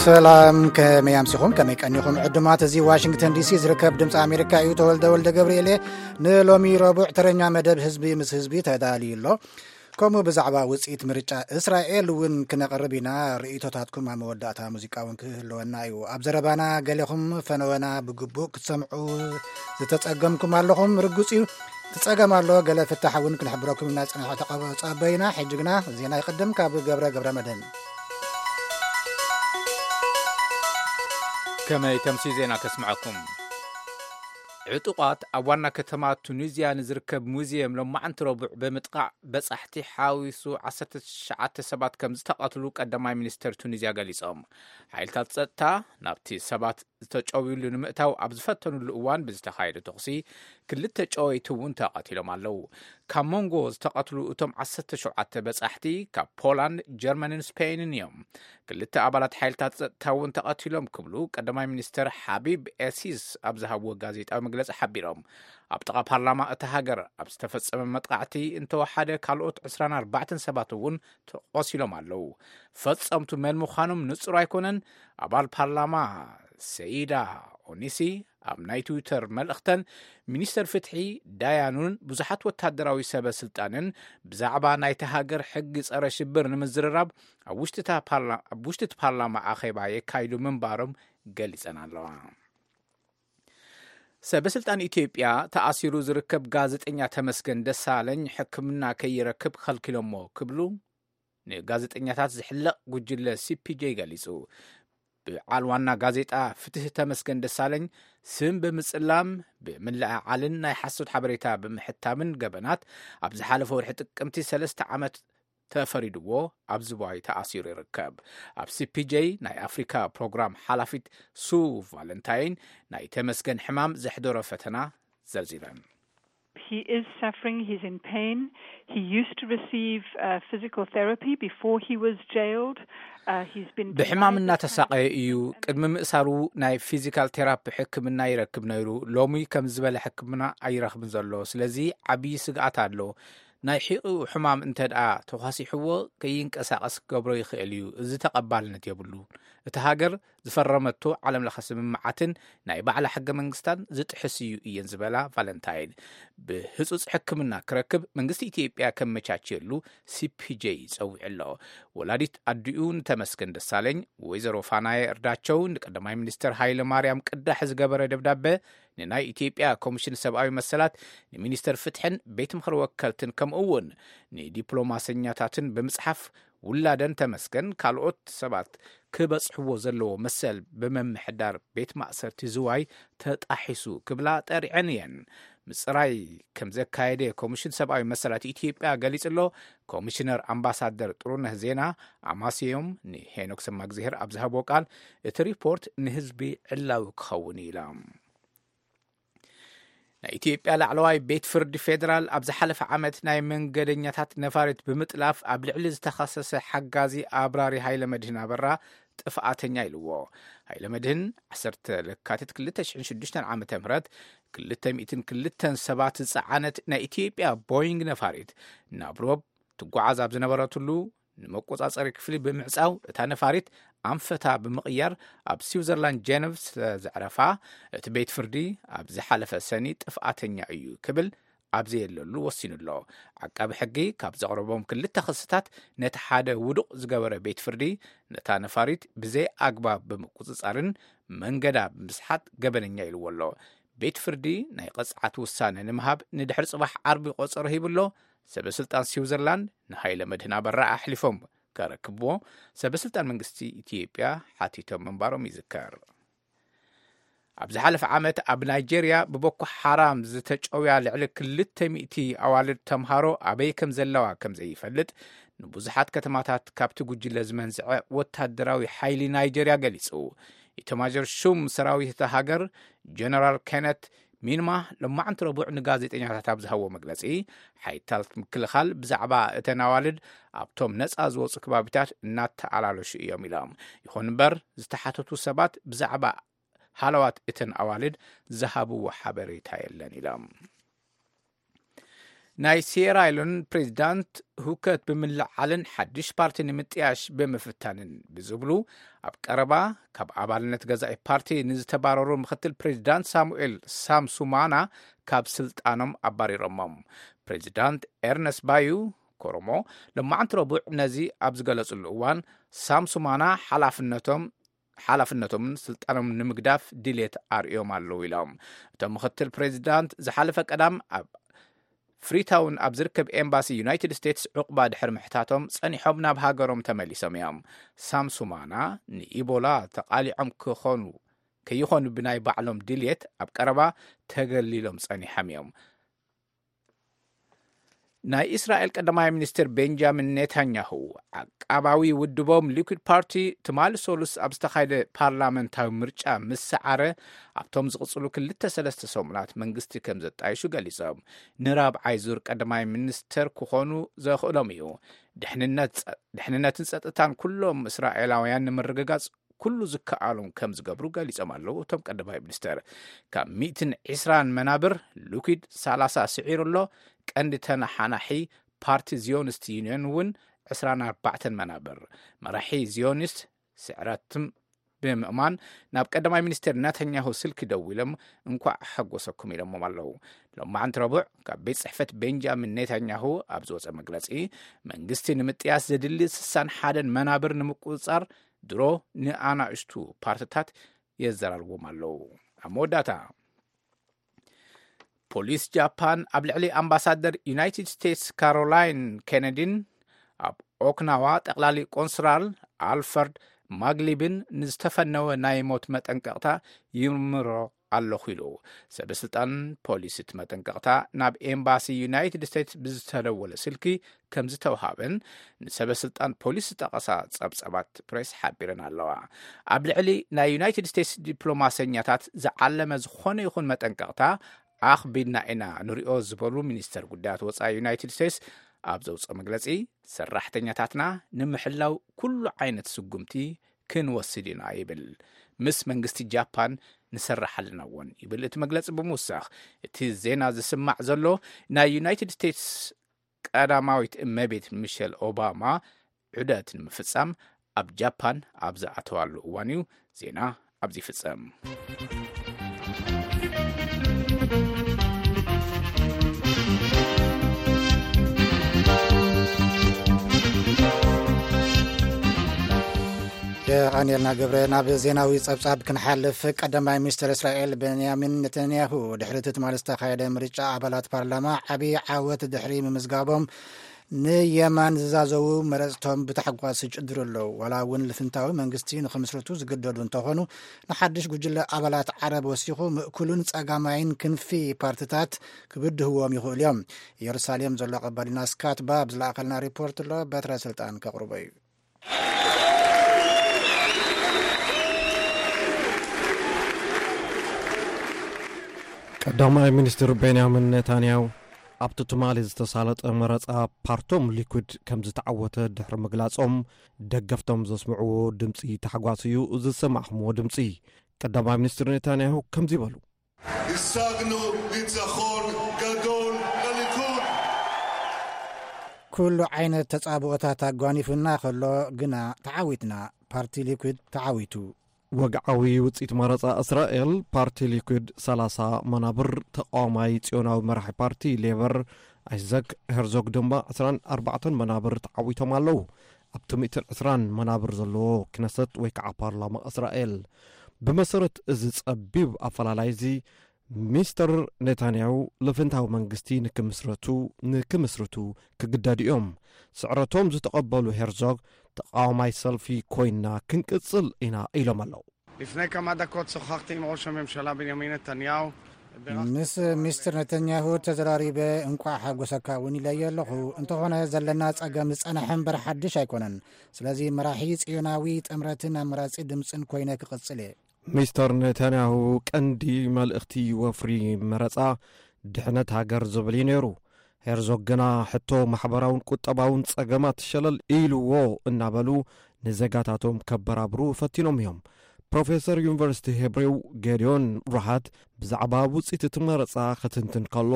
ሰላም፣ ከመይ ኣምሲኹም? ከመይ ቀኒኹም? ዕዱማት፣ እዚ ዋሽንግተን ዲሲ ዝርከብ ድምፂ ኣሜሪካ እዩ። ተወልደ ወልደ ገብርኤል እየ። ንሎሚ ረቡዕ ተረኛ መደብ ህዝቢ ምስ ህዝቢ ተዳልዩ ኣሎ። ከምኡ ብዛዕባ ውፅኢት ምርጫ እስራኤል እውን ክነቕርብ ኢና። ርእይቶታትኩም ኣብ መወዳእታ ሙዚቃ እውን ክህልወና እዩ። ኣብ ዘረባና ገሌኹም ፈነወና ብግቡእ ክትሰምዑ ዝተጸገምኩም ኣለኹም። ርጉጽ እዩ፣ ትጸገም ኣሎ። ገለ ፍታሕ እውን ክንሕብረኩም ኢና። ጽንሕ ተቐበ-፣ ጸበዩና። ሕጂ ግና ዜና ይቕድም ካብ ገብረ ገብረ መድህን። ከመይ ተምሲ ዜና ከስምዐኩም። ዕጡቓት ኣብ ዋና ከተማ ቱኒዝያ ንዝርከብ ሙዚየም ሎማዕንቲ ረቡዕ ብምጥቓዕ በጻሕቲ ሓዊሱ ዓሰርተ ትሽዓተ ሰባት ከም ዝተቐትሉ ቀዳማይ ሚኒስተር ቱኒዝያ ገሊጾም። ሓይልታት ጸጥታ ናብቲ ሰባት ዝተጨውዩሉ ንምእታው ኣብ ዝፈተኑሉ እዋን ብዝተኻየደ ተኹሲ ክልተ ጨወይቲ እውን ተቐቲሎም ኣለዉ። ካብ መንጎ ዝተቐትሉ እቶም ዓሰርተ ሸውዓተ በጻሕቲ ካብ ፖላንድ፣ ጀርመንን ስፔንን እዮም። ክልተ ኣባላት ሓይልታት ጸጥታ እውን ተቐቲሎም ክብሉ ቀዳማይ ሚኒስተር ሓቢብ ኤሲስ ኣብ ዝሃብዎ ጋዜጣዊ መግለጺ ሓቢሮም። ኣብ ጥቓ ፓርላማ እታ ሃገር ኣብ ዝተፈጸመ መጥቃዕቲ እንተወሓደ ካልኦት ዕስራን ኣርባዕተን ሰባት እውን ተቖሲሎም ኣለዉ። ፈጸምቱ መን ምዃኖም ንጹር ኣይኮነን። ኣባል ፓርላማ ሰይዳ ኦኒሲ ኣብ ናይ ትዊተር መልእኽተን፣ ሚኒስተር ፍትሒ ዳያኑን ብዙሓት ወታደራዊ ሰበ ስልጣንን ብዛዕባ ናይቲ ሃገር ሕጊ ጸረ ሽብር ንምዝርራብ ኣብ ውሽጢ እታ ፓርላ-፣ ኣብ ውሽጢ እቲ ፓርላማ ኣኼባ የካይዱ ምንባሮም ገሊጸን ኣለዋ። ሰበ ስልጣን ኢትዮጵያ፣ ተኣሲሩ ዝርከብ ጋዜጠኛ ተመስገን ደሳለኝ ሕክምና ከይረክብ ከልኪሎሞ ክብሉ ንጋዜጠኛታት ዝሕለቕ ጉጅለ ሲ ፒ ጄ ገሊጹ። በዓል ዋና ጋዜጣ ፍትህ ተመስገን ደሳለኝ ስም ብምጽላም፣ ብምልዕዓልን ናይ ሓሶት ሓበሬታ ብምሕታምን ገበናት ኣብ ዝሓለፈ ወርሒ ጥቅምቲ ሰለስተ ዓመት ተፈሪድዎ ኣብ ዝዋይ ተኣሲሩ ይርከብ። ኣብ ሲ ፒ ጄ ናይ ኣፍሪካ ፕሮግራም ሓላፊት ሱ ቫለንታይን ናይ ተመስገን ሕማም ዘሕደሮ ፈተና ዘርዚረን። He is suffering, he's in pain. He used to receive uh, physical therapy before he was jailed. Uh, he's been ብሕማም denied this kind of እናተሳቐየ እዩ። treatment. ቅድሚ ምእሳሩ ናይ ፊዚካል ቴራፒ ሕክምና ይረክብ ነይሩ። ሎሚ ከም ዝበለ ሕክምና ኣይረኽብን ዘሎ። ስለዚ ዓብዪ ስግኣት ኣሎ። ናይ ሒቑ ሕማም እንተ ደኣ ተዃሲሕዎ፣ ከይንቀሳቐስ ክገብሮ ይኽእል እዩ። እዚ ተቐባልነት የብሉን። እቲ ሃገር ዝፈረመቶ ዓለም ለኸ ስምምዓትን ናይ ባዕላ ሕገ መንግስታን ዝጥሕስ እዩ እየን ዝበላ ቫለንታይን፣ ብህጹጽ ሕክምና ክረክብ መንግስቲ ኢትዮጵያ ከመቻችየሉ ሲ ፒ ጄ ጸዊዑ ኣሎ። ወላዲት ኣዲኡ ንተመስገን ደሳለኝ፣ ወይዘሮ ፋናየ እርዳቸው፣ ንቀዳማይ ሚኒስትር ሃይለ ማርያም ቅዳሕ ዝገበረ ደብዳበ ንናይ ኢትዮጵያ ኮሚሽን ሰብኣዊ መሰላት፣ ንሚኒስተር ፍትሕን ቤት ምኽሪ ወከልትን፣ ከምኡ እውን ንዲፕሎማሰኛታትን ብምጽሓፍ፣ ውላደን ተመስገን ካልኦት ሰባት ክበጽሕዎ ዘለዎ መሰል ብምምሕዳር ቤት ማእሰርቲ ዝዋይ ተጣሒሱ ክብላ ጠሪዐን እየን። ምጽራይ ከም ዘካየደ ኮሚሽን ሰብኣዊ መሰላት ኢትዮጵያ ገሊጹ ኣሎ። ኮሚሽነር ኣምባሳደር ጥሩነህ ዜና ኣማስዮም ንሄኖክ ሰማግዜሄር ኣብ ዝሃቦ ቃል፣ እቲ ሪፖርት ንህዝቢ ዕላዊ ክኸውን እዩ ኢላ። ናይ ኢትዮጵያ ላዕለዋይ ቤት ፍርዲ ፌዴራል ኣብ ዝሓለፈ ዓመት ናይ መንገደኛታት ነፋሪት ብምጥላፍ ኣብ ልዕሊ ዝተኸሰሰ ሓጋዚ ኣብራሪ ሃይለ መድህን ኣበራ ጥፍኣተኛ ኢልዎ። ሃይለ መድህን ዓሰርተ ለካቲት ክልተ ሽሕን ሽዱሽተን ዓመተ ምህረት ክልተ ሚእትን ክልተን ሰባት ዝጸዓነት ናይ ኢትዮጵያ ቦይንግ ነፋሪት ናብ ሮብ ትጓዓዝ ኣብ ዝነበረትሉ ንመቆጻጸሪ ክፍሊ ብምዕጻው እታ ነፋሪት ኣንፈታ ብምቕያር ኣብ ስዊዘርላንድ ጀነቭ ስለ ዘዕረፋ፣ እቲ ቤት ፍርዲ ኣብ ዝሓለፈ ሰኒ ጥፍኣተኛ እዩ ክብል ኣብ ዘየለሉ ወሲኑ ኣሎ። ዓቃቢ ሕጊ ካብ ዘቕረቦም ክልተ ክስታት ነቲ ሓደ ውዱቕ ዝገበረ ቤት ፍርዲ፣ ነታ ነፋሪት ብዘይ ኣግባብ ብምቁጽጻርን መንገዳ ብምስሓት ገበነኛ ኢልዎ ኣሎ። ቤት ፍርዲ ናይ ቅጽዓት ውሳነ ንምሃብ ንድሕሪ ጽባሕ ዓርቢ ቆጸሮ ሂቡ ኣሎ። ሰበ ስልጣን ስዊዘርላንድ ንሃይለ መድህን ኣበራ ኣሕሊፎም ከረክብዎ ሰበ ስልጣን መንግስቲ ኢትዮጵያ ሓቲቶም ምንባሮም ይዝከር። ኣብ ዝሓለፈ ዓመት ኣብ ናይጄርያ ብቦኮ ሓራም ዝተጨውያ ልዕሊ ክልተ ሚእቲ ኣዋልድ ተምሃሮ ኣበይ ከም ዘለዋ ከም ዘይፈልጥ፣ ንብዙሓት ከተማታት ካብቲ ጉጅለ ዝመንዝዐ ወታደራዊ ሓይሊ ናይጄርያ ገሊጹ። ኢታማዦር ሹም ሰራዊት እታ ሃገር ጀነራል ኬነት ሚንማ ሎማዕንቲ ረቡዕ ንጋዜጠኛታት ኣብ ዝሃቦ መግለጺ፣ ሓይልታት ምክልኻል ብዛዕባ እተን ኣዋልድ ኣብቶም ነጻ ዝወጹ ከባቢታት እናተኣላለሹ እዮም ኢሎም። ይኹን እምበር ዝተሓተቱ ሰባት ብዛዕባ ሃለዋት እተን ኣዋልድ ዝሃብዎ ሓበሬታ የለን ኢሎም። ናይ ሲየራ ሌዮን ፕሬዚዳንት ሁከት ብምልዓልን ሓድሽ ፓርቲ ንምጥያሽ ብምፍታንን ብዝብሉ ኣብ ቀረባ ካብ ኣባልነት ገዛኢ ፓርቲ ንዝተባረሩ ምክትል ፕሬዚዳንት ሳሙኤል ሳምሱማና ካብ ስልጣኖም ኣባሪሮሞም። ፕሬዚዳንት ኤርነስት ባዩ ኮሮሞ ሎማዕንቲ ረቡዕ ነዚ ኣብ ዝገለጽሉ እዋን ሳምሱማና ሓላፍነቶም ሓላፍነቶምን ስልጣኖምን ንምግዳፍ ድሌት ኣርእዮም ኣለዉ ኢሎም። እቶም ምክትል ፕሬዚዳንት ዝሓለፈ ቀዳም ኣብ ፍሪታውን ኣብ ዝርከብ ኤምባሲ ዩናይትድ ስቴትስ ዕቑባ ድሕሪ ምሕታቶም ጸኒሖም ናብ ሃገሮም ተመሊሶም እዮም። ሳምሱማና ንኢቦላ ተቓሊዖም ክኾኑ ከይኾኑ ብናይ ባዕሎም ድልየት ኣብ ቀረባ ተገሊሎም ጸኒሖም እዮም። ናይ እስራኤል ቀዳማይ ሚኒስትር ቤንጃሚን ኔታንያሁ ዓቃባዊ ውድቦም ሊኩድ ፓርቲ ትማሊ ሰሉስ ኣብ ዝተኻየደ ፓርላመንታዊ ምርጫ ምስ ሰዓረ ኣብቶም ዝቕጽሉ ክልተ ሰለስተ ሰሙናት መንግስቲ ከም ዘጣይሹ ገሊጾም። ንራብዓይ ዙር ቀዳማይ ሚኒስተር ክኾኑ ዘኽእሎም እዩ። ድሕንነት ጸ- ድሕንነትን ጸጥታን ኩሎም እስራኤላውያን ንምርግጋጽ ኩሉ ዝከኣሎም ከም ዝገብሩ ገሊጾም ኣለዉ። እቶም ቀዳማይ ሚኒስተር ካብ ሚእትን ዕስራን መናብር ሊኩድ ሰላሳ ስዒሩ ኣሎ። ቀንዲ ተነሓናሒ ፓርቲ ዚዮኒስት ዩኒየን እውን ዕስራን ኣርባዕተን መናብር። መራሒ ዚዮኒስት ስዕረትም ብምእማን ናብ ቀዳማይ ሚኒስትር ነታንያሁ ስልኪ ደዊሎም እንኳዕ ሓጎሰኩም ኢሎሞም ኣለዉ። ሎማዓንቲ ረቡዕ ካብ ቤት ጽሕፈት ቤንጃሚን ኔታንያሁ ኣብ ዝወጸ መግለጺ፣ መንግስቲ ንምጥያስ ዘድሊ ስሳን ሓደን መናብር ንምቁጽጻር ድሮ ንኣናእሽቱ ፓርትታት የዘራርቦም ኣለዉ። ኣብ መወዳእታ፣ ፖሊስ ጃፓን ኣብ ልዕሊ ኣምባሳደር ዩናይትድ ስቴትስ ካሮላይን ኬነዲን ኣብ ኦክናዋ ጠቕላሊ ቆንስራል ኣልፈርድ ማግሊብን ንዝተፈነወ ናይ ሞት መጠንቀቕታ ይምርምሮ ኣለኹ ኢሉ። ሰበ ስልጣን ፖሊስ እቲ መጠንቀቕታ ናብ ኤምባሲ ዩናይትድ ስቴትስ ብዝተደወለ ስልኪ ከም ዝተውሃበን ንሰበ ስልጣን ፖሊስ ዝጠቐሳ ጸብጸባት ፕሬስ ሓቢረን ኣለዋ። ኣብ ልዕሊ ናይ ዩናይትድ ስቴትስ ዲፕሎማሰኛታት ዝዓለመ ዝኾነ ይኹን መጠንቀቕታ ኣኽቢድና ኢና ንሪኦ ዝበሉ ሚኒስተር ጉዳያት ወጻኢ ዩናይትድ ስቴትስ ኣብ ዘውፅኦ መግለፂ፣ ሰራሕተኛታትና ንምሕላው ኩሉ ዓይነት ስጉምቲ ክንወስድ ኢና ይብል። ምስ መንግስቲ ጃፓን ንሰራሕ ኣለና እውን ይብል እቲ መግለፂ ብምውሳኽ፣ እቲ ዜና ዝስማዕ ዘሎ ናይ ዩናይትድ ስቴትስ ቀዳማዊት እመቤት ሚሸል ኦባማ ዑደት ንምፍጻም ኣብ ጃፓን ኣብ ዝኣተዋሉ እዋን እዩ። ዜና ኣብዚ ይፍጸም። የቐንየልና ገብረ። ናብ ዜናዊ ጸብጻብ ክንሓልፍ፣ ቀዳማይ ሚኒስትር እስራኤል ቤንያሚን ነተንያሁ ድሕሪ እቲ ትማሊ ዝተኻየደ ምርጫ ኣባላት ፓርላማ ዓብዪ ዓወት ድሕሪ ምምዝጋቦም ንየማን ዝዛዘዉ መረጽቶም ብታሕጓስ ይጭድሩ ኣለዉ። ዋላ እውን ልፍንታዊ መንግስቲ ንኽምስርቱ ዝግደዱ እንተኾኑ፣ ንሓድሽ ጉጅለ ኣባላት ዓረብ ወሲኹ ምእኩሉን ጸጋማይን ክንፊ ፓርትታት ክብድህዎም ይኽእሉ እዮም። ኢየሩሳሌም ዘሎ ቀባሊና ስካት ባብ ዝለኣኸልና ሪፖርት ኣሎ፣ በትረ ስልጣን ከቕርቦ እዩ። ቀዳማይ ሚኒስትር ቤንያሚን ኔታንያሁ ኣብቲ ትማሊ ዝተሳለጠ መረጻ ፓርቶም ሊኩድ ከም ዝተዓወተ ድሕሪ ምግላጾም፣ ደገፍቶም ዘስምዕዎ ድምጺ ታሕጓስ እዩ ዝሰማዕኹምዎ ድምጺ። ቀዳማይ ሚኒስትር ኔታንያሁ ከምዚ በሉ። השגנו ניצחון גדול לליכוד! ኩሉ ዓይነት ተጻብኦታት ኣጓኒፉና ከሎ ግና ተዓዊትና፣ ፓርቲ ሊኩድ ተዓዊቱ። ወግዓዊ ውጽኢት መረጻ እስራኤል፣ ፓርቲ ሊኩድ ሰላሳ መናብር፣ ተቃዋማይ ጽዮናዊ መራሒ ፓርቲ ሌበር ኣይዘክ ሄርዞግ ድማ ዕስራን ኣርባዕተን መናብር ተዓዊቶም ኣለዉ። ኣብቲ ሚእትን ዕስራን መናብር ዘለዎ ክነሰት ወይ ከዓ ፓርላማ እስራኤል። ብመሰረት እዚ ጸቢብ ኣፈላላይ እዚ፣ ሚስተር ኔታንያሁ ልፍንታዊ መንግስቲ ንክምስረቱ፣ ንክምስርቱ ክግደዱ እዮም። ስዕረቶም ዝተቐበሉ ሄርዞግ፣ ተቃዋማይ ሰልፊ ኮይና ክንቅጽል ኢና ኢሎም ኣለዉ። לפני כמה דקות שוחחתי עם ראש הממשלה בנימין נתניהו. ምስ ሚስተር ነተንያሁ ተዘራሪበ እንቋዕ ሓጎሰካ እውን ኢለዮ ኣለኹ። እንተኾነ ዘለና ጸገም ዝጸንሐ እምበር ሓድሽ ኣይኮነን። ስለዚ መራሒ ጽዮናዊ ጥምረትን ኣመራጺ ድምፅን ኮይነ ክቕጽል እየ። ሚስተር ኔታንያሁ ቀንዲ መልእኽቲ ወፍሪ መረጻ ድሕነት ሃገር ዝብል እዩ ነይሩ። ሄርዞግ ግና ሕቶ ማሕበራውን ቁጠባውን ጸገማት ሸለል ኢልዎ እናበሉ ንዜጋታቶም ከበራብሩ ፈቲኖም እዮም። ፕሮፌሰር ዩኒቨርሲቲ ሄብሬው ጌዲዮን ሮሃት ብዛዕባ ውጽኢት እቲ መረጻ ክትንትን ከሎ፣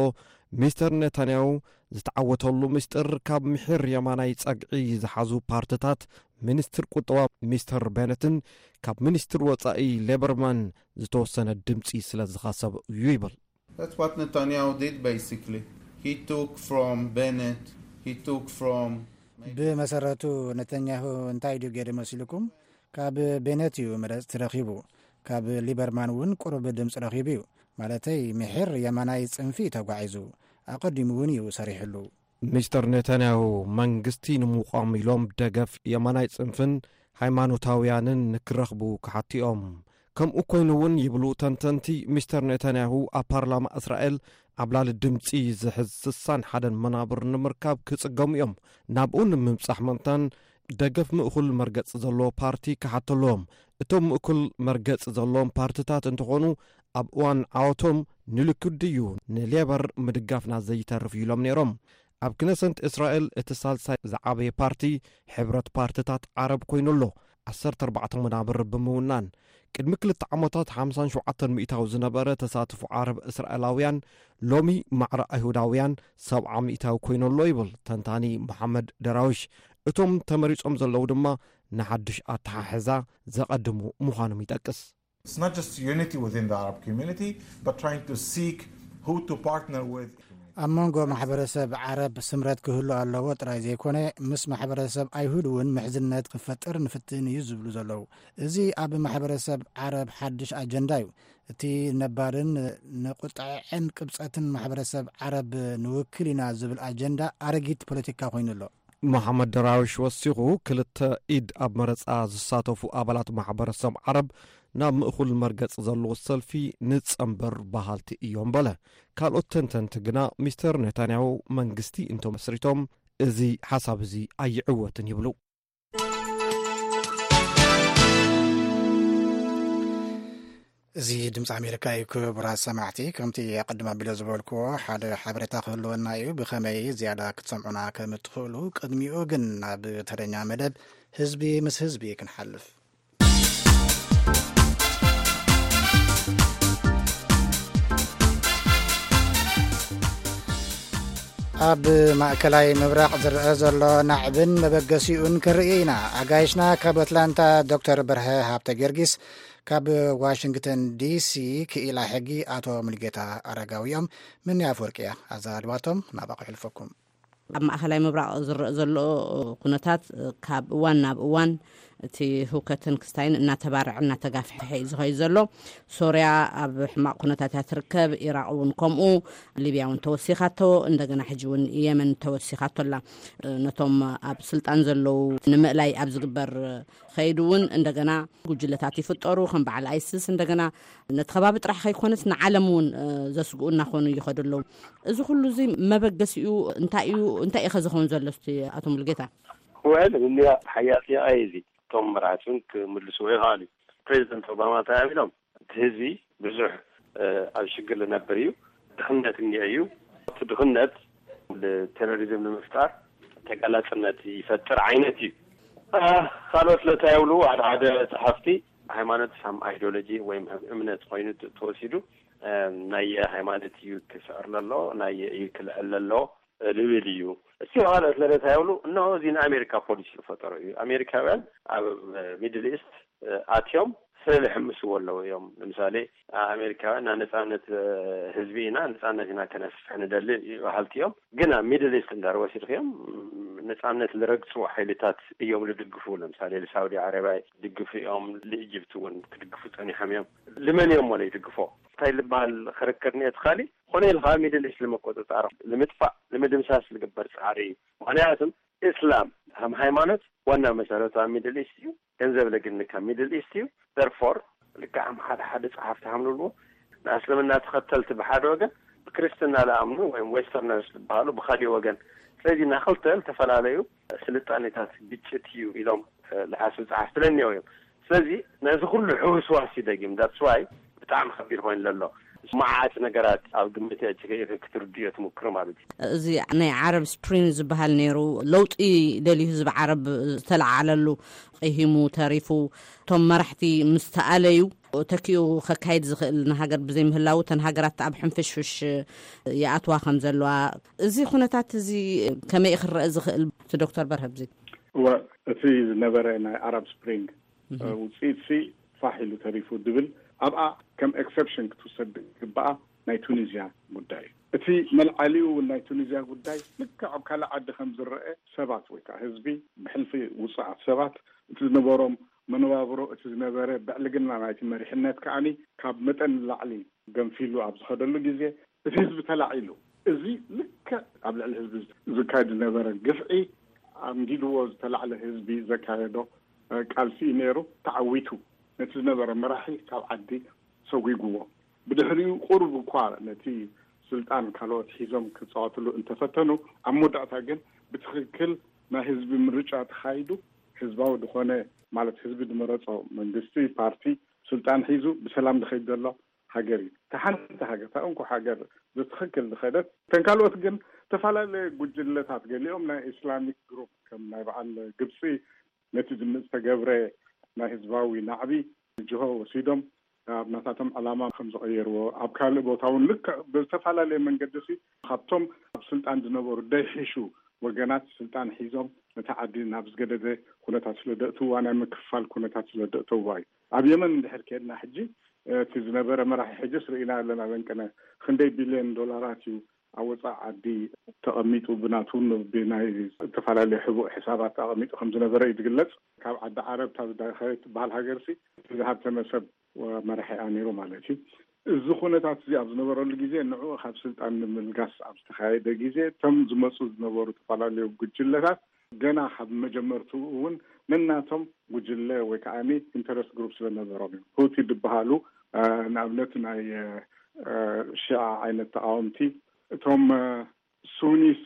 ሚስተር ኔታንያሁ ዝተዓወተሉ ምስጢር ካብ ምሒር የማናይ ጸግዒ ዝሓዙ ፓርትታት ሚኒስትር ቁጠባ ሚስተር ቤነትን ካብ ሚኒስትር ወጻኢ ሌበርማን ዝተወሰነ ድምጺ ስለ ዝኸሰብ እዩ ይብል። That's what Netanyahu did basically. He took from Bennett, he took from ብመሰረቱ ነተኛሁ እንታይ ድዩ ገይሩ መሲልኩም? ካብ ቤነት እዩ መረፅቲ ረኺቡ። ካብ ሊበርማን እውን ቁሩብ ድምፂ ረኺቡ እዩ። ማለተይ ምሒር የማናይ ፅንፊ ተጓዒዙ። ኣቐዲሙ እውን እዩ ሰሪሕሉ። ሚስተር ኔታንያሁ መንግስቲ ንምቋም ኢሎም ደገፍ የማናይ ፅንፍን ሃይማኖታውያንን ንክረኽቡ ክሓትኦም። ከምኡ ኮይኑ እውን ይብሉ ተንተንቲ፣ ሚስተር ኔታንያሁ ኣብ ፓርላማ እስራኤል ዓብላሊ ድምፂ ዝሕዝ ስሳን ሓደን መናብር ንምርካብ ክፅገሙ እዮም። ናብኡ ንምብፃሕ መንታን ደገፍ ምእኩል መርገፂ ዘለዎ ፓርቲ ክሓተልዎም። እቶም ምእኩል መርገፂ ዘለዎም ፓርትታት እንትኾኑ ኣብ እዋን ዓወቶም ንልኩድ ድዩ ንሌበር ምድጋፍና ዘይተርፍ እዩ ኢሎም ነይሮም። ኣብ ክነሰንት እስራኤል እቲ ሳልሳይ ዝዓበየ ፓርቲ ሕብረት ፓርትታት ዓረብ ኮይኑ ኣሎ፣ ዓሰርተ ኣርባዕተ መናብር ብምውናን። ቅድሚ ክልተ ዓመታት ሓምሳን ሸውዓተን ሚእታዊ ዝነበረ ተሳትፎ ዓረብ እስራኤላውያን ሎሚ ማዕረ ኣይሁዳውያን ሰብዓ ሚእታዊ ኮይኑ ኣሎ ይብል ተንታኒ መሓመድ ደራዊሽ። እቶም ተመሪጾም ዘለዉ ድማ ንሓድሽ ኣተሓሕዛ ዘቐድሙ ምዃኖም ይጠቅስ። It's not just unity within the Arab community, but trying to seek who to partner with. ኣብ መንጎ ማሕበረሰብ ዓረብ ስምረት ክህሉ ኣለዎ ጥራይ ዘይኮነ፣ ምስ ማሕበረሰብ ኣይሁድ እውን ምሕዝነት ክፈጥር ንፍትን እዩ ዝብሉ ዘለዉ። እዚ ኣብ ማሕበረሰብ ዓረብ ሓድሽ ኣጀንዳ እዩ። እቲ ነባርን ንቁጥዐን ቅብፀትን ማሕበረሰብ ዓረብ ንውክል ኢና ዝብል ኣጀንዳ ኣረጊት ፖለቲካ ኮይኑ ኣሎ። መሓመድ ደራዊሽ ወሲኹ፣ ክልተ ኢድ ኣብ መረፃ ዝሳተፉ ኣባላት ማሕበረሰብ ዓረብ ናብ ምእኹል መርገፂ ዘለዎ ሰልፊ ንፀንበር በሃልቲ እዮም በለ። ካልኦት ተንተንቲ ግና ሚስተር ኔታንያሁ መንግስቲ እንተመስሪቶም እዚ ሓሳብ እዚ ኣይዕወትን ይብሉ። እዚ ድምፂ ኣሜሪካ እዩ። ክቡራት ሰማዕቲ፣ ከምቲ ኣቐድም ኣቢለ ዝበልክዎ ሓደ ሓበሬታ ክህልወና እዩ። ብኸመይ ዝያዳ ክትሰምዑና ከም እትኽእሉ፣ ቅድሚኡ ግን ናብ ተረኛ መደብ ህዝቢ ምስ ህዝቢ ክንሓልፍ። ኣብ ማእከላይ ምብራቕ ዝረአ ዘሎ ናዕብን መበገሲኡን ክንርኢ ኢና። ኣጋይሽና ካብ ኣትላንታ ዶክተር በርሀ ሃብተ ጊዮርጊስ፣ ካብ ዋሽንግተን ዲሲ ክኢላ ሕጊ ኣቶ ሙልጌታ ኣረጋዊ እዮም። ምኒ ኣፍወርቂ እያ ኣዘራርባቶም። ናባኹ ይሕልፈኩም። ኣብ ማእከላይ ምብራቕ ዝረአ ዘሎ ኩነታት ካብ እዋን ናብ እዋን እቲ ህውከትን ክስታይን እናተባርዐ እናተጋፍሐ እዩ ዝኸይድ ዘሎ። ሶርያ ኣብ ሕማቕ ኩነታት እያ ትርከብ፣ ኢራቕ እውን ከምኡ፣ ሊብያ እውን ተወሲኻቶ፣ እንደገና ሕጂ እውን የመን ተወሲኻቶ ኣላ። ነቶም ኣብ ስልጣን ዘለዉ ንምእላይ ኣብ ዝግበር ከይዱ እውን እንደገና ጉጅለታት ይፍጠሩ፣ ከም በዓል ኣይስስ እንደገና ነቲ ከባቢ ጥራሕ ከይኮነስ ንዓለም እውን ዘስግኡ እናኾኑ ይኸዱ ኣለዉ። እዚ ኩሉ እዚ መበገሲኡ እንታይ እዩ? እንታይ እዩ ከ ዝኸውን ዘሎ እስቲ ኣቶ ሙሉጌታ? ወል እንዲያ ሓያል ጥያቄ እዚ እቶም መራሕቲ እውን ክምልስዎ ይኽኣሉ እዩ። ፕሬዚደንት ኦባማ እንታይ ኢሎም? እቲ ህዝቢ ብዙሕ ኣብ ሽግር ዝነብር እዩ፣ ድኽነት እኒኦ እዩ። እቲ ድኽነት ቴሮሪዝም ንምፍጣር ተጋላፅነት ይፈጥር ዓይነት እዩ። ካልኦት ለታ የብሉ። ሓደ ሓደ ፀሓፍቲ ሃይማኖት ሳም ኣይዲዮሎጂ ወይም እምነት ኮይኑ ተወሲዱ ናይ ሃይማኖት እዩ ክስዕር ለሎ ናይ እዩ ክልዕል ለሎ ልብል እዩ። እስቲ ካልኦት ለለታ የብሉ። እነሆ እዚ ንኣሜሪካ ፖሊሲ ዝፈጠሮ እዩ። ኣሜሪካውያን ኣብ ሚድል ኢስት ኣትዮም ስለ ዝሕምስዎ ኣለዉ እዮም። ንምሳሌ ኣሜሪካውያን ናይ ነፃነት ህዝቢ ኢና፣ ነፃነት ኢና ከነስፍሕ ንደሊ በሃልቲ እዮም። ግን ኣብ ሚድል ኢስት እንዳር ወሲድክዮም ነፃነት ዝረግፁ ሓይልታት እዮም ዝድግፉ። ለምሳሌ ንሳውዲ ዓረብያ ይድግፉ እዮም፣ ንኢጅፕት እውን ክድግፉ ፀኒሖም እዮም። ልመን እዮም ወለ ይድግፎ እንታይ ዝበሃል ክርክር እኒኦ ትኻሊ ኮነ ኢልካ ሚድል ኢስት ንምቁፅፃር ንምጥፋእ ንምድምሳስ ዝግበር ፃዕሪ እዩ። ምክንያቱም እስላም ከም ሃይማኖት ዋና መሰረቱ ኣብ ሚድል ኢስት እዩ። ገንዘብ ለግኒ ካብ ሚድል ኢስት እዩ። ደርፎር ልክዕ ከም ሓደ ሓደ ፀሓፍቲ ሃምልዎ ንእስልምና ተኸተልቲ ብሓደ ወገን ብክርስትና ለኣምኑ ወይም ዌስተርነርስ ዝበሃሉ ብካሊእ ወገን። ስለዚ ናክልተ ዝተፈላለዩ ስልጣኔታት ግጭት እዩ ኢሎም ዝሓስቡ ፀሓፍቲ ለኒኦ እዮም። ስለዚ ነዚ ኩሉ ሕውስዋስ እዩ ደጊም that's why ብጣዕሚ ከቢድ ኮይኑ ዘሎ። መዓት ነገራት ኣብ ግምት ክትርድዮ ትምክር ማለት እዩ። እዚ ናይ ዓረብ ስፕሪንግ ዝበሃል ነይሩ፣ ለውጢ ደልዩ ህዝቢ ዓረብ ዝተለዓለሉ፣ ቂሂሙ ተሪፉ፣ እቶም መራሕቲ ምስ ተኣለዩ ተኪኡ ከካይድ ዝኽእል ንሃገር ብዘይምህላው፣ እተን ሃገራት ኣብ ሕንፍሽፍሽ ይኣትዋ ከም ዘለዋ፣ እዚ ኩነታት እዚ ከመይ ክረአ ዝኽእል? ዶክተር በርሀ ብዚ እወ፣ እቲ ዝነበረ ናይ ኣረብ ስፕሪንግ ውፅኢት ሲ ፋሕ ኢሉ ተሪፉ ድብል ኣብኣ ከም ኤክሰፕሽን ክትውሰድ ግበኣ ናይ ቱኒዝያ ጉዳይ እዩ። እቲ መልዓሊኡ እውን ናይ ቱኒዝያ ጉዳይ ልክዕ ኣብ ካልእ ዓዲ ከም ዝረአ ሰባት ወይ ከዓ ህዝቢ ብሕልፊ ውፅዓት ሰባት እቲ ዝነበሮም መነባብሮ እቲ ዝነበረ ብዕልግና ናይቲ መሪሕነት ከዓኒ ካብ መጠን ንላዕሊ ገንፊሉ ኣብ ዝኸደሉ ግዜ እቲ ህዝቢ ተላዒሉ እዚ ልክዕ ኣብ ልዕሊ ህዝቢ ዝካየድ ዝነበረ ግፍዒ ኣንጊድዎ ዝተላዕለ ህዝቢ ዘካየዶ ቃልሲ እዩ ነይሩ። ተዓዊቱ ነቲ ዝነበረ መራሒ ካብ ዓዲ ሰጒግዎ። ብድሕሪኡ ቁሩብ እኳ ነቲ ስልጣን ካልኦት ሒዞም ክፃወትሉ እንተፈተኑ ኣብ መወዳእታ ግን ብትኽክል ናይ ህዝቢ ምርጫ ተኻይዱ ህዝባዊ ዝኾነ ማለት ህዝቢ ዝመረፆ መንግስቲ ፓርቲ ስልጣን ሒዙ ብሰላም ዝኸይድ ዘሎ ሃገር እዩ። እታ ሓንቲ ሃገር እታ እንኮ ሃገር ብትኽክል ዝኸደት እተን ካልኦት ግን ዝተፈላለየ ጉጅለታት ገሊኦም ናይ ኢስላሚክ ግሩፕ ከም ናይ በዓል ግብፂ ነቲ ዝምፅ ተገብረ ናይ ህዝባዊ ናዕቢ ጅሆ ወሲዶም ኣብ ናታቶም ዕላማ ከም ዝቐየርዎ ኣብ ካልእ ቦታ እውን ልክዕ ብዝተፈላለየ መንገዲ ሲ ካብቶም ኣብ ስልጣን ዝነበሩ ደይሕሹ ወገናት ስልጣን ሒዞም ነቲ ዓዲ ናብ ዝገደደ ኩነታት ስለ ደእትዋ ናይ ምክፋል ኩነታት ስለ ደእተዋ እዩ። ኣብ የመን እንድሕር ከድና ሕጂ እቲ ዝነበረ መራሒ ሕጅስ ርኢና ኣለና ለንቀነ ክንደይ ቢልዮን ዶላራት እዩ ኣብ ወፃእ ዓዲ ተቐሚጡ ብናቱን ብናይ ዝተፈላለዩ ሕቡእ ሕሳባት ተቐሚጡ ከም ዝነበረ እዩ ዝግለፅ። ካብ ዓዲ ዓረብ እታ ዝዳኸየት ትበሃል ሃገር ሲ ዝሃብተመ ሰብ መራሒኣ ነይሩ ማለት እዩ። እዚ ኩነታት እዚ ኣብ ዝነበረሉ ግዜ ንዕኡ ካብ ስልጣን ንምልጋስ ኣብ ዝተካየደ ግዜ እቶም ዝመፁ ዝነበሩ ዝተፈላለዩ ጉጅለታት ገና ካብ መጀመርትኡ እውን ነናቶም ጉጅለ ወይ ከዓ ኢንተረስት ግሩፕ ስለነበሮም እዮም። ሁቲ ዝበሃሉ ንኣብነት ናይ ሽዓ ዓይነት ተቃወምቲ፣ እቶም ሱኒስ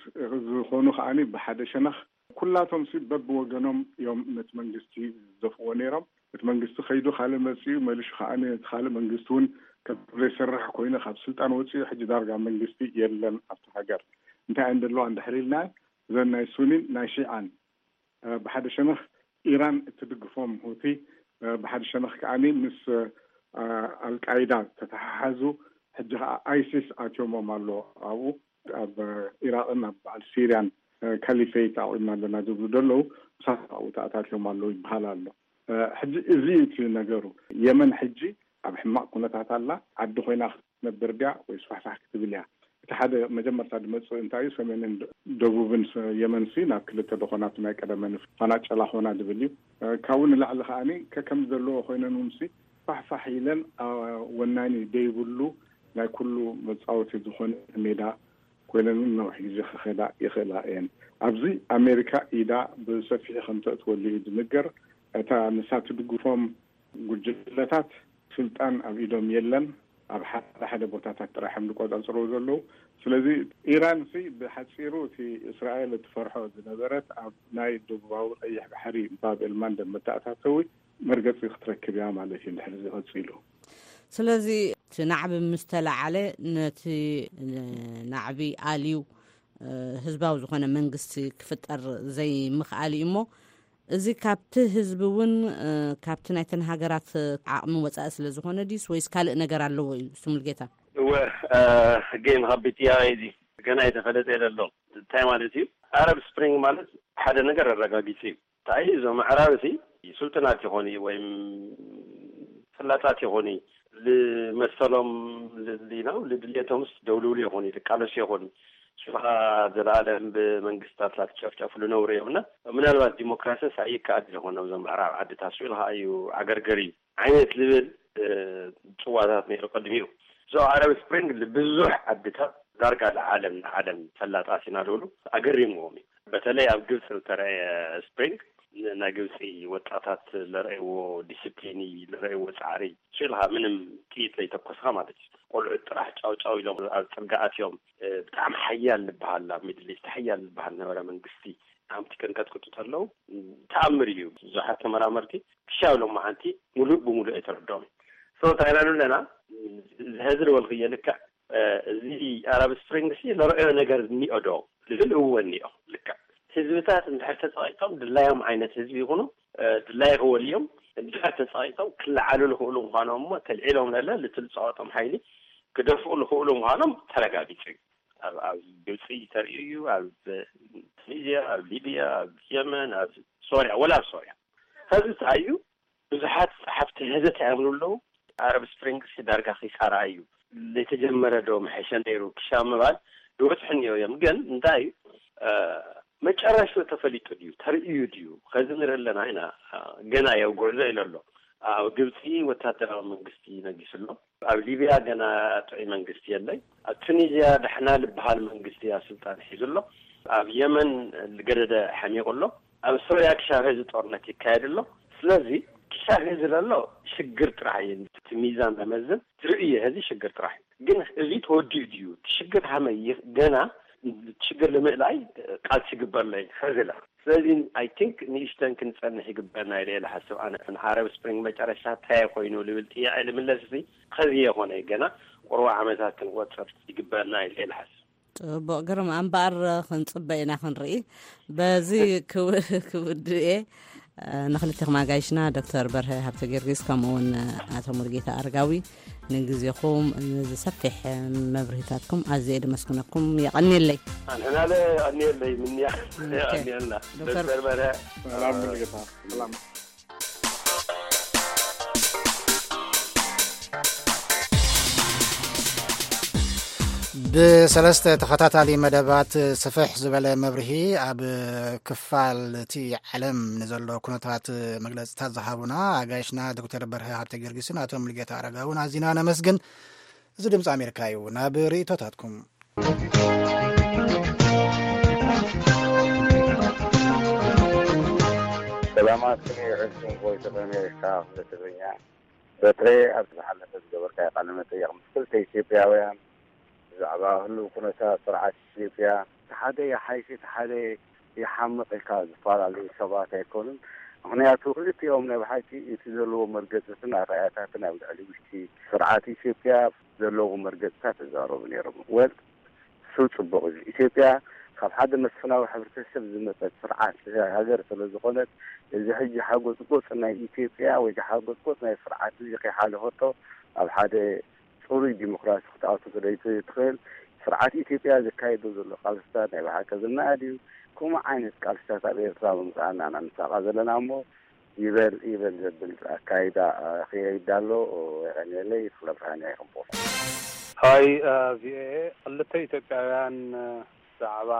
ዝኾኑ ከዓ ብሓደ ሸነኽ ኩላቶም ሲ በብወገኖም እዮም ነቲ መንግስቲ ዝደፍዎ ነይሮም። እቲ መንግስቲ ከይዱ ካልእ መፅኡ መሊሹ ከዓ እቲ ካልእ መንግስቲ እውን ከም ዘይሰርሕ ኮይኑ ካብ ስልጣን ወፅኡ ሕጂ ዳርጋ መንግስቲ የለን ኣብቲ ሃገር። እንታይ እየን ዘለዋ እንድሕር ኢልና እዘን ናይ ሱኒን ናይ ሺዓን ብሓደ ሸነኽ ኢራን እትድግፎም ሁቲ ብሓደ ሸነኽ ከዓ ምስ ኣልቃይዳ ተተሓሓዙ ሕጂ ከዓ ኣይሲስ ኣትዮሞም ኣሎ ኣብኡ ኣብ ኢራቅን ኣብ በዓል ሲርያን ካሊፌት ኣቑምና ኣለና ዝብሉ ዘለዉ ምሳት ኣብኡ ተኣታትዮም ኣለዉ ይበሃል ኣሎ። ሕጂ እዚ እቲ ነገሩ የመን ሕጂ ኣብ ሕማቕ ኩነታት ኣላ። ዓዲ ኮይና ክትነብር ድያ ወይ ስፋሕፋሕ ክትብል እያ? እቲ ሓደ መጀመርታ ዝመፅእ እንታይ እዩ? ሰሜንን ደቡብን የመንሲ ናብ ክልተ ደኾናቱ ናይ ቀደመን ፋና ጨላ ኾና ዝብል እዩ። ካብኡ ንላዕሊ ከዓኒ ከከም ዘለዎ ኮይነን ውንሲ ፋሕፋሕ ኢለን ወናኒ ደይብሉ ናይ ኩሉ መፃወቲ ዝኾነ ሜዳ ኮይነን እውን ነዊሕ ግዜ ክኸዳ ይኽእላ እየን። ኣብዚ ኣሜሪካ ኢዳ ብሰፊሑ ከም ተእትወሉ እዩ ዝንገር። እታ ንሳ ትድግፎም ጉጅለታት ስልጣን ኣብ ኢዶም የለን። ኣብ ሓደ ሓደ ቦታታት ጥራሕ እዮም ዝቆፃፅርዎ ዘለዉ። ስለዚ ኢራን ሲ ብሓፂሩ እቲ እስራኤል እትፈርሖ ዝነበረት ኣብ ናይ ደቡባዊ ቀይሕ ባሕሪ ባብ ኤልማንደብ መተኣታተዊ መርገፂ ክትረክብ እያ ማለት እዩ እንድሕር እዚ ቀፂሉ። ስለዚ እቲ ናዕቢ ምስ ተላዓለ ነቲ ናዕቢ ኣልዩ ህዝባዊ ዝኾነ መንግስቲ ክፍጠር ዘይምኽኣል እዩ እሞ እዚ ካብቲ ህዝቢ እውን ካብቲ ናይተን ሃገራት ዓቕሚ ወፃኢ ስለ ዝኾነ ድዩስ ወይስ ካልእ ነገር ኣለዎ እዩ? ስሙልጌታ። እወ፣ ሕገይ ምኻቢት እያ እዚ ገና የተፈለጠ የለ ኣሎ። እንታይ ማለት እዩ? ኣረብ ስፕሪንግ ማለት ሓደ ነገር ኣረጋጊጹ እዩ። እንታይ እዞም ኣዕራብ እዚ ስልጡናት ይኾኑ ወይም ፈላጣት ይኾኑ፣ ልመሰሎም ልድልናው ልድልየቶምስ ደውልውሉ ይኾኑ፣ ልቃለሱ ይኾኑ። ሽኻ ዘለኣለም ብመንግስታት ላትጨፍጨፉ ልነብሩ እዮም እና ምናልባት ዲሞክራሲስ ኣይከኣል ዝኾነ እዞም ምዕራብ ዓድታት ስኢሉ ከዓ እዩ ዓገርገር እዩ ዓይነት ዝብል ፅዋታት ነይሩ ቅድሚኡ። እዞ ኣረብ ስፕሪንግ ብዙሕ ዓድታት ዳርጋ ንዓለም ንዓለም ፈላጣት ኢና ዝብሉ ኣገሪምዎም እዩ። በተለይ ኣብ ግብፂ ዝተረእየ ስፕሪንግ ናይ ግብፂ ወጣታት ለረእዎ ዲስፕሊን ለረእዎ ፃዕሪ ሽልካ ምንም ጥይት ለይተኮስካ ማለት እዩ። ቆልዑት ጥራሕ ጫውጫው ኢሎም ኣብ ፅርጋኣት እዮም። ብጣዕሚ ሓያል ዝበሃል ኣብ ሚድል ኢስት ሓያል ዝበሃል ነበረ መንግስቲ ሃምቲ ከንቀጥቅጡ ተለዉ ተኣምር እዩ። ብዙሓት ተመራመርቲ ክሻብ ሎማዓንቲ ሙሉእ ብሙሉእ ኣይተረድኦም። So እንታይ ኢና ንብለና፣ እዚ ሐዚ ዝበልክዮ ልክዕ፣ እዚ ኣራብ ስፕሪንግ ሲ ንረእዮ ነገር እኒኦ ዶ ዝብል እወ እኒኦ። ልክዕ ህዝብታት እንድሕር ተፀቂጦም ድላዮም ዓይነት ህዝቢ ይኹኑ ድላይ ክወልዮም እንድሕር ተፀቂጦም ክለዓሉ ዝኽእሉ ምዃኖም እሞ ተልዒሎም ለለ ልትልፀወጦም ሓይሊ ክደፍኡ ዝኽእሉ ምዃኖም ተረጋጊፁ እዩ። ኣብ ግብፂ ተርእዩ እዩ። ኣብ ቱኒዝያ፣ ኣብ ሊብያ፣ ኣብ የመን፣ ኣብ ሶርያ፣ ወላ ኣብ ሶርያ ኸዚ እንታይ እዩ? ብዙሓት ፀሓፍቲ ሐዚ እንታይ ይብሉ ኣለዉ? ኣረብ ስፕሪንግስ ዳርጋ ኺሳራ እዩ። ለተጀመረ ዶ መሐሸ ነይሩ ክሻ ምባል ይበፅሑ እኒኦ እዮም። ግን እንታይ እዩ መጨረሹ ተፈሊጡ ድዩ ተርእዩ ድዩ? ኸዚ ንርኢ ኣለና ኢና። ገና የው ጎዕዞ ኢለ ኣሎ። ኣብ ግብፂ ወታደራዊ መንግስቲ ነጊሱ ኣሎ። ኣብ ሊብያ ገና ጥዑይ መንግስቲ የለይ። ኣብ ቱኒዝያ ዳሕና ልበሃል መንግስቲ ኣብ ስልጣን ሒዙ ኣሎ። ኣብ የመን ገደደ ሓሚቑ ኣሎ። ኣብ ሶርያ ክሻብ ዚ ጦርነት ይካየድ ኣሎ። ስለዚ ክሻብ ዚ ዘሎ ሽግር ጥራሕ እዩ። እቲ ሚዛን መመዝን ትርእዩ ዚ ሽግር ጥራሕ እዩ። ግን እዚ ተወዲኡ ድዩ? ሽግር ሃመይ ገና ሽግር ንምእላይ ቃልሲ ይግበርለይ ኸዝለ ስለዚ ኣይ ቲንክ ንእሽተን ክንፀንሕ ይግበርና ኢለ እየ ዝሓስብ። ኣነ ንዓረብ ስፕሪንግ መጨረሻ እንታይ ኮይኑ ልብል ጥያቄ ልምለስ እዚ ኸዚ የኾነ ገና ቁርባ ዓመታት ክንቆፅር ይግበርና ኢለ እየ ዝሓስብ። ፅቡቅ ግርም ኣምበኣር ክንፅበ ኢና ክንርኢ። በዚ ክውድእ እየ። ንክልቴኹም ኣጋይሽና ዶክተር በርሀ ሃብተ ጊዮርጊስ ከምኡ እውን ኣቶ ሙሉጌታ ኣረጋዊ ንግዜኹም ንዝሰፊሕ መብርሂታትኩም ኣዝየ ደመስግነኩም። የቐንየለይ። ኣንሕናለ ኣንየለይ ምንያ ኣንየልና ዶክተር በርሀ ሰላም ሙሉጌታ ሰላም። ብሰለስተ ተኸታታሊ መደባት ስፍሕ ዝበለ መብርሂ ኣብ ክፋል እቲ ዓለም ንዘሎ ኩነታት መግለፅታት ዝሃቡና ኣጋይሽና ዶክተር በርሀ ሃብተ ጊዮርጊስን ኣቶ ሙሉጌታ ኣረጋውን ኣዚና ነመስግን። እዚ ድምፂ ኣሜሪካ እዩ። ናብ ርእይቶታትኩም። ሰላማት ይዕልኩም ቮይስ ኦፍ ኣሜሪካ ክፍለ ትግርኛ። በትሬ ኣብ ዝሓለፈ ዝገበርካዮ ቃለ መጠይቕ ምስ ክልተ ኢትዮጵያውያን ብዛዕባ ህሉው ኩነታት ስርዓት ኢትዮጵያ እቲ ሓደ ይሓይሽ እቲ ሓደ ይሓምቕ ኢልካ ዝፈላለዩ ሰባት ኣይኮኑን። ምኽንያቱ ክልቲኦም ናይ ብሓቂ እቲ ዘለዎ መርገፅትን ኣርኣያታትን ኣብ ልዕሊ ውሽጢ ስርዓት ኢትዮጵያ ዘለዎ መርገፅታት ይዛረቡ ነይሮም። ወል እሱ ፅቡቕ እዩ። ኢትዮጵያ ካብ ሓደ መስፍናዊ ሕብረተሰብ ዝመፀት ስርዓት ሃገር ስለ ዝኾነት እዚ ሕጂ ሓጎፅጎፅ ናይ ኢትዮጵያ ወይ ሓጎፅጎፅ ናይ ስርዓት እዚ ከይሓለፈቶ ኣብ ሓደ ፅሩይ ዲሞክራሲ ክትኣቱ ስለይትኽእል ስርዓት ኢትዮጵያ ዘካይዶ ዘሎ ቃልስታት ናይ ብሓቂ ዝነኣድ እዩ። ከምኡ ዓይነት ቃልስታት ኣብ ኤርትራ ምምፃእ ኢና ንሳቐ ዘለና እሞ ይበል ይበል ዘብል ኣካይዳ ክየይድ ኣሎ። የቐንየለይ። ፍለብርሃን እያ ይኽንቦ። ሃይ ቪኦኤ ክልተ ኢትዮጵያውያን ብዛዕባ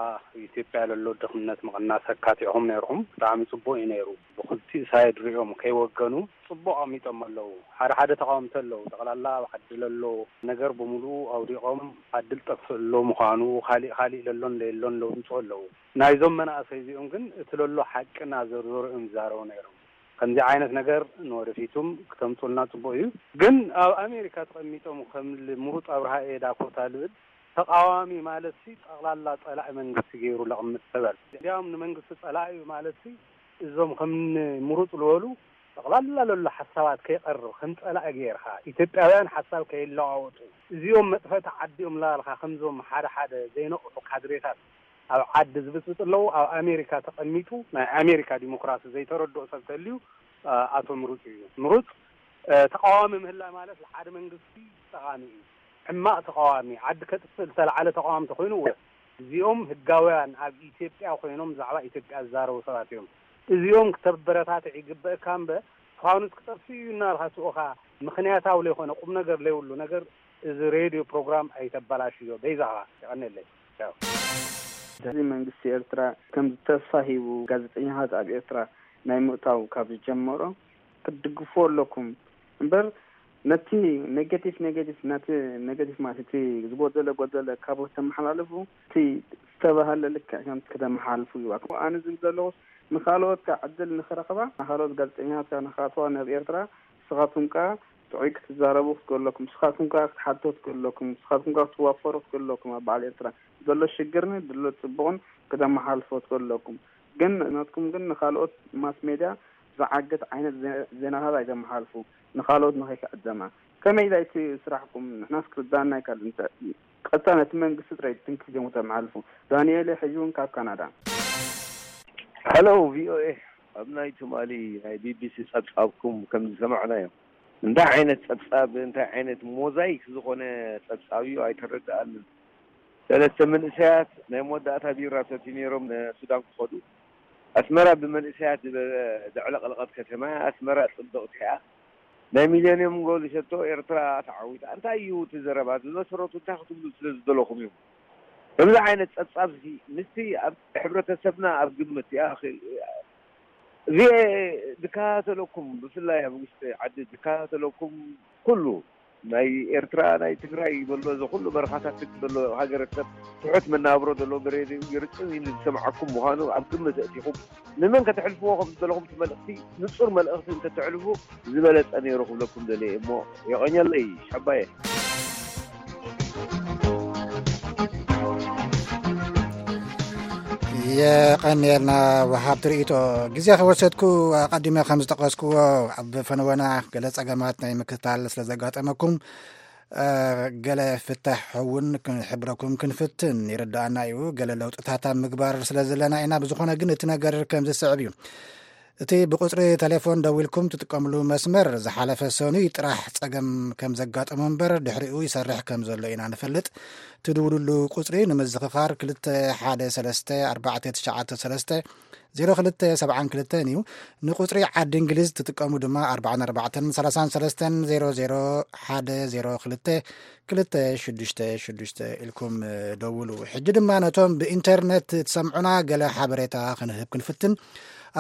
ኢትዮጵያ ለሎ ድኽነት ምቕናስ ኣካቲዕኹም ነይርኹም። ብጣዕሚ ጽቡቕ እዩ ነይሩ። ብኽልቲኡ ሳይድ ሪኦም ከይወገኑ ጽቡቕ ኣቕሚጦም ኣለዉ። ሓደ ሓደ ተቓወምቲ ኣለዉ። ጠቕላላ ኣብ ዓዲ ለሎ ነገር ብምሉኡ ኣውዲቖም ዓዲ ልጠፍእ ኣሎ ምዃኑ፣ ካሊእ ካሊእ ለሎን ለየሎን ለውንጹ ኣለዉ። ናይዞም መናእሰይ እዚኦም ግን እቲ ለሎ ሓቂ እናዘርዘሩ እዮም ዝዛረቡ ነይሮም። ከምዚ ዓይነት ነገር ንወደፊቱም ክተምጹልና ጽቡቕ እዩ። ግን ኣብ ኣሜሪካ ተቐሚጦም ከም ምሩጽ ኣብርሃ እየ ዳኮታ ልብል ተቓዋሚ ማለት ሲ ጠቕላላ ጸላኢ መንግስቲ ገይሩ ለቕምጥ ተበል። እንዲያውም ንመንግስቲ ጸላኢ እዩ ማለት ሲ እዞም ከም ምሩጽ ዝበሉ ጠቕላላ ለሎ ሓሳባት ከይቐርብ ከም ጸላኢ ገይርካ ኢትዮጵያውያን ሓሳብ ከይለዋወጡ እዚኦም መጥፈእቲ ዓዲ እዮም ላልካ ከምዞም ሓደ ሓደ ዘይነቕሑ ካድሬታት ኣብ ዓዲ ዝብፅብፅ ኣለዉ። ኣብ ኣሜሪካ ተቐሚጡ ናይ ኣሜሪካ ዲሞክራሲ ዘይተረድኦ ሰብ ተልዩ ኣቶ ምሩፅ እዩ። ምሩፅ ተቃዋሚ ምህላ ማለት ንሓደ መንግስቲ ጠቃሚ እዩ። ሕማቅ ተቃዋሚ ዓዲ ከጥፍእ ዝተለዓለ ተቃዋሚ ተኮይኑ እወ እዚኦም ህጋውያን ኣብ ኢትዮጵያ ኮይኖም ብዛዕባ ኢትዮጵያ ዝዛረቡ ሰባት እዮም። እዚኦም ክተበረታትዕ ይግበእካ እምበር ፋኑስ ክጠፍእ እዩ እናልካ ስኡኻ ምክንያታዊ ለይኮነ ቁም ነገር ለይብሉ ነገር እዚ ሬድዮ ፕሮግራም ኣይተበላሽዮ በይዛኻ። የቐንየለይ። ቻው። እዚ መንግስቲ ኤርትራ ከም ተስፋ ሂቡ ጋዜጠኛታት ኣብ ኤርትራ ናይ ምእታው ካብ ዝጀመሮ ክትድግፍዎ ኣለኩም እምበር ነቲ ኔጌቲቭ ኔጌቲቭ ነቲ ኔጌቲቭ ማለት እቲ ዝጎደለ ጎደለ ካብ ተመሓላልፉ እቲ ዝተባህለ ልክዕ ከም ከተመሓላልፉ ይዋክ ኣነ ዝብል ዘለኹ ንኻልኦት ከ ዕድል ንኽረኽባ ንኻልኦት ጋዜጠኛታት ከ ንኻትዋ ናብ ኤርትራ ንስኻትኩም ከ ጥዑይ ክትዛረቡ ክትክእሉ ኣለኩም ንስኻትኩም ከ ክትሓቶ ትክእሉ ኣለኩም ንስኻትኩም ከ ክትዋፈሩ ትክእሉ ኣለኩም ኣብ በዓል ኤርትራ ዘሎ ሽግርን ድሎ ፅቡቕን ክተመሓልፎ ትክእሉ ኣለኩም ግን ናትኩም ግን ንኻልኦት ማስ ሜድያ ዝዓግት ዓይነት ዜ- ዜናታት ኣይተመሓልፉ፣ ንኻልኦት ንኸይክዕደማ። ከመይ ኢላ እቲ ስራሕኩም ንሕናስ ክርዳና ኣይካልን። ቀጥታ ነቲ መንግስቲ ጥራይ ትንክፍ ጀሙ ተመሓልፉ። ዳንኤል ሕጂ እውን ካብ ካናዳ። ሄሎ ቪኦኤ፣ ኣብ ናይ ትማሊ ናይ ቢቢሲ ጸብጻብኩም ከም ዝሰማዕናዮ፣ እንታይ ዓይነት ጸብጻብ፣ እንታይ ዓይነት ሞዛይክ ዝኾነ ጸብጻብ እዩ ኣይተረድኣንን። ሰለስተ መንእሰያት ናይ መወዳእታ ቢራ ሰትዩ ነይሮም ንሱዳን ክኸዱ። ኣስመራ ብመንእሰያት ዝበ- ዘዕለቕለቐት ከተማ እያ። ኣስመራ ጽብቕቲ እያ። ናይ ሚሌንየም ጎል ሸቶ ኤርትራ ተዓዊታ። እንታይ እዩ እቲ ዘረባ? ብመሰረቱ እንታይ ክትብሉ ስለ ዝደለኹም እዩ? ከምዚ ዓይነት ጸብጻብ እዚ ምስቲ ኣብ ሕብረተሰብና ኣብ ግምት ይኣኽል። እዚ ዝከታተለኩም ብፍላይ ኣብ ውሽጢ ዓዲ ዝከታተለኩም ኩሉ ናይ ኤርትራ ናይ ትግራይ በሎ እዚ ኩሉ በረኻታት ዘሎ ሃገረሰብ ትሑት መናብሮ ዘሎ ብሬድዮ ይርጥብ ኢሉ ዝሰምዓኩም ምዃኑ ኣብ ግምት ኣእቲኹም ንመን ከተሕልፍዎ ከም ዝደለኹም እቲ መልእኽቲ ንጹር መልእኽቲ እንተተሕልፉ ዝበለጸ ነይሩ ክብለኩም ደልየ እሞ የቐኘለይ ሻባየ። የቐንየልና ወሃብቲ ርእይቶ። ግዜ ከወሰድኩ ኣቐዲመ ከም ዝጠቐስኩዎ ኣብ ፈነወና ገለ ጸገማት ናይ ምክትታል ስለ ዘጋጠመኩም ገለ ፍታሕ እውን ክንሕብረኩም ክንፍትን ይርዳኣና እዩ። ገለ ለውጥታት ኣብ ምግባር ስለ ዘለና ኢና። ብዝኾነ ግን እቲ ነገር ከም ዝስዕብ እዩ። እቲ ብቁፅሪ ቴሌፎን ደዊልኩም ትጥቀምሉ መስመር ዝሓለፈ ሰኑይ ጥራሕ ፀገም ከም ዘጋጠሞ እምበር ድሕሪኡ ይሰርሕ ከም ዘሎ ኢና ንፈልጥ። ትድውልሉ ቁፅሪ ንምዝኽኻር ክልተ ሓደ ሰለስተ ኣርባዕተ ትሽዓተ ሰለስተ ዜሮ ክልተ ሰብዓን ክልተን እዩ። ንቁፅሪ ዓዲ እንግሊዝ ትጥቀሙ ድማ ኣርባዓን ኣርባዕተን ሰላሳን ሰለስተን ዜሮ ዜሮ ሓደ ዜሮ ክልተ ክልተ ሽዱሽተ ሽዱሽተ ኢልኩም ደውሉ። ሕጂ ድማ ነቶም ብኢንተርነት ትሰምዑና ገለ ሓበሬታ ክንህብ ክንፍትን።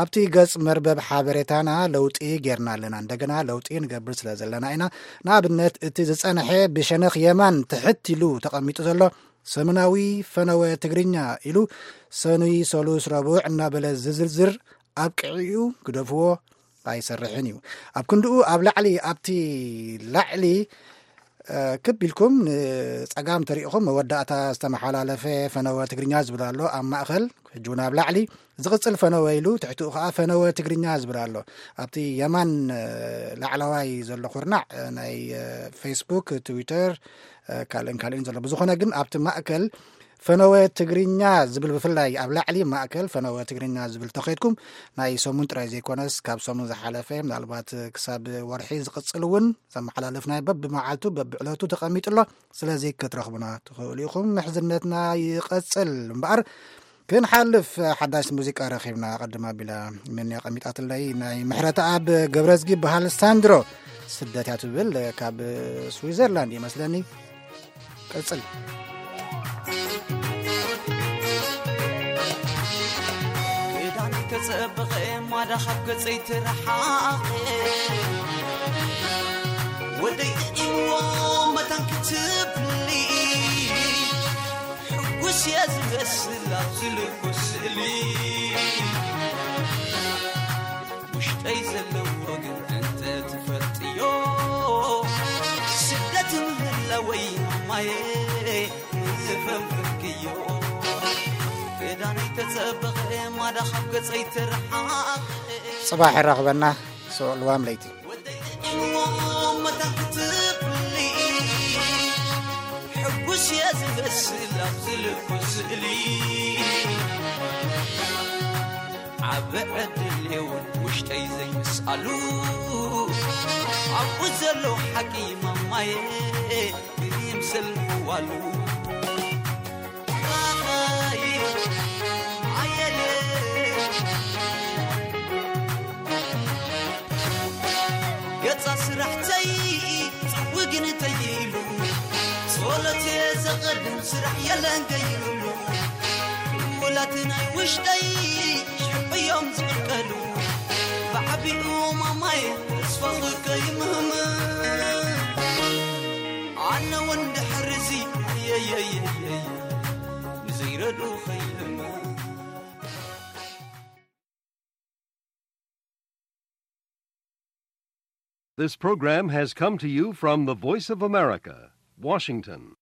ኣብቲ ገጽ መርበብ ሓበሬታና ለውጢ ጌርና ኣለና። እንደገና ለውጢ ንገብር ስለ ዘለና ኢና። ንኣብነት እቲ ዝጸንሐ ብሸነኽ የማን ትሕት ኢሉ ተቐሚጡ ዘሎ ሰሙናዊ ፈነወ ትግርኛ ኢሉ ሰኑይ፣ ሰሉስ፣ ረቡዕ እናበለ ዝዝርዝር ኣብቅዒኡ ግደፍዎ ኣይሰርሕን እዩ። ኣብ ክንድኡ ኣብ ላዕሊ ኣብቲ ላዕሊ ክብ ኢልኩም ንጸጋም ተሪእኹም መወዳእታ ዝተመሓላለፈ ፈነወ ትግርኛ ዝብል ኣሎ። ኣብ ማእኸል ሕጂ እውን ኣብ ላዕሊ ዝቕጽል ፈነወ ኢሉ ትሕትኡ ከዓ ፈነወ ትግርኛ ዝብል ኣሎ። ኣብቲ የማን ላዕለዋይ ዘሎ ኩርናዕ ናይ ፌስቡክ፣ ትዊተር፣ ካልእን ካልእን ዘሎ። ብዝኾነ ግን ኣብቲ ማእከል ፈነወ ትግርኛ ዝብል ብፍላይ ኣብ ላዕሊ ማእከል ፈነወ ትግርኛ ዝብል ተኸይድኩም ናይ ሰሙን ጥራይ ዘይኮነስ ካብ ሰሙን ዝሓለፈ ምናልባት ክሳብ ወርሒ ዝቕጽል እውን ዘመሓላለፍናዮ በብመዓልቱ በብዕለቱ ተቐሚጡ ኣሎ። ስለዚ ክትረኽቡና ትኽእሉ ኢኹም። ምሕዝነትና ይቐጽል እምበኣር ክንሓልፍ ሓዳሽ ሙዚቃ ረኺብና። ቅድም ኣቢላ መን ኣቐሚጣትለይ ናይ ምሕረተኣብ ገብረዝጊ በሃል ሳንድሮ ስደት እያ ትብል ካብ ስዊዘርላንድ ይመስለኒ። ቀጽል። ክዳን ተጸበቐ ማዳ ካብ ገጸይ ትረሓቐ ወደይ ጥዒምዎ መታን ክትብሊ ሕጉስ እየ ዝመስል ኣብዚ ልኩ ስእሊ ውሽጠይ ዘለዎ ግን እንተ ትፈልጥዮ ስደት ምህላወይ ማማየ ምፈንፍንክዮ ክዳነይ ተጸበቐ ማዳ ካብ ገጸይ ትርሓቕ ጽባሕ የራኽበና። ስዑ ልዋም ለይቲ። ሕጉስ እየ ዝመስል ኣብዚ ልኩ ስእሊ ዓቢ ዕድል የውን ውሽጠይ ዘይምስኣሉ ኣብኡ ዘሎ ሓቂ ማማየ ይምስል ምዋሉ ገጻ ስራሕተይ ጽውግን ተይሉ ጸሎት ዘቐድም ስራሕ የለን ገይሩሉ ውላት ናይ ውሽጠይ ሽዑ እዮም ዝቕልቀሉ ብዓቢኡ ማማይ ተስፋ ከይምህም ኣነ እውን ድሕርዚ የየየየየ ንዘይረዱ ከይልም This program has come to you from the Voice of America, Washington.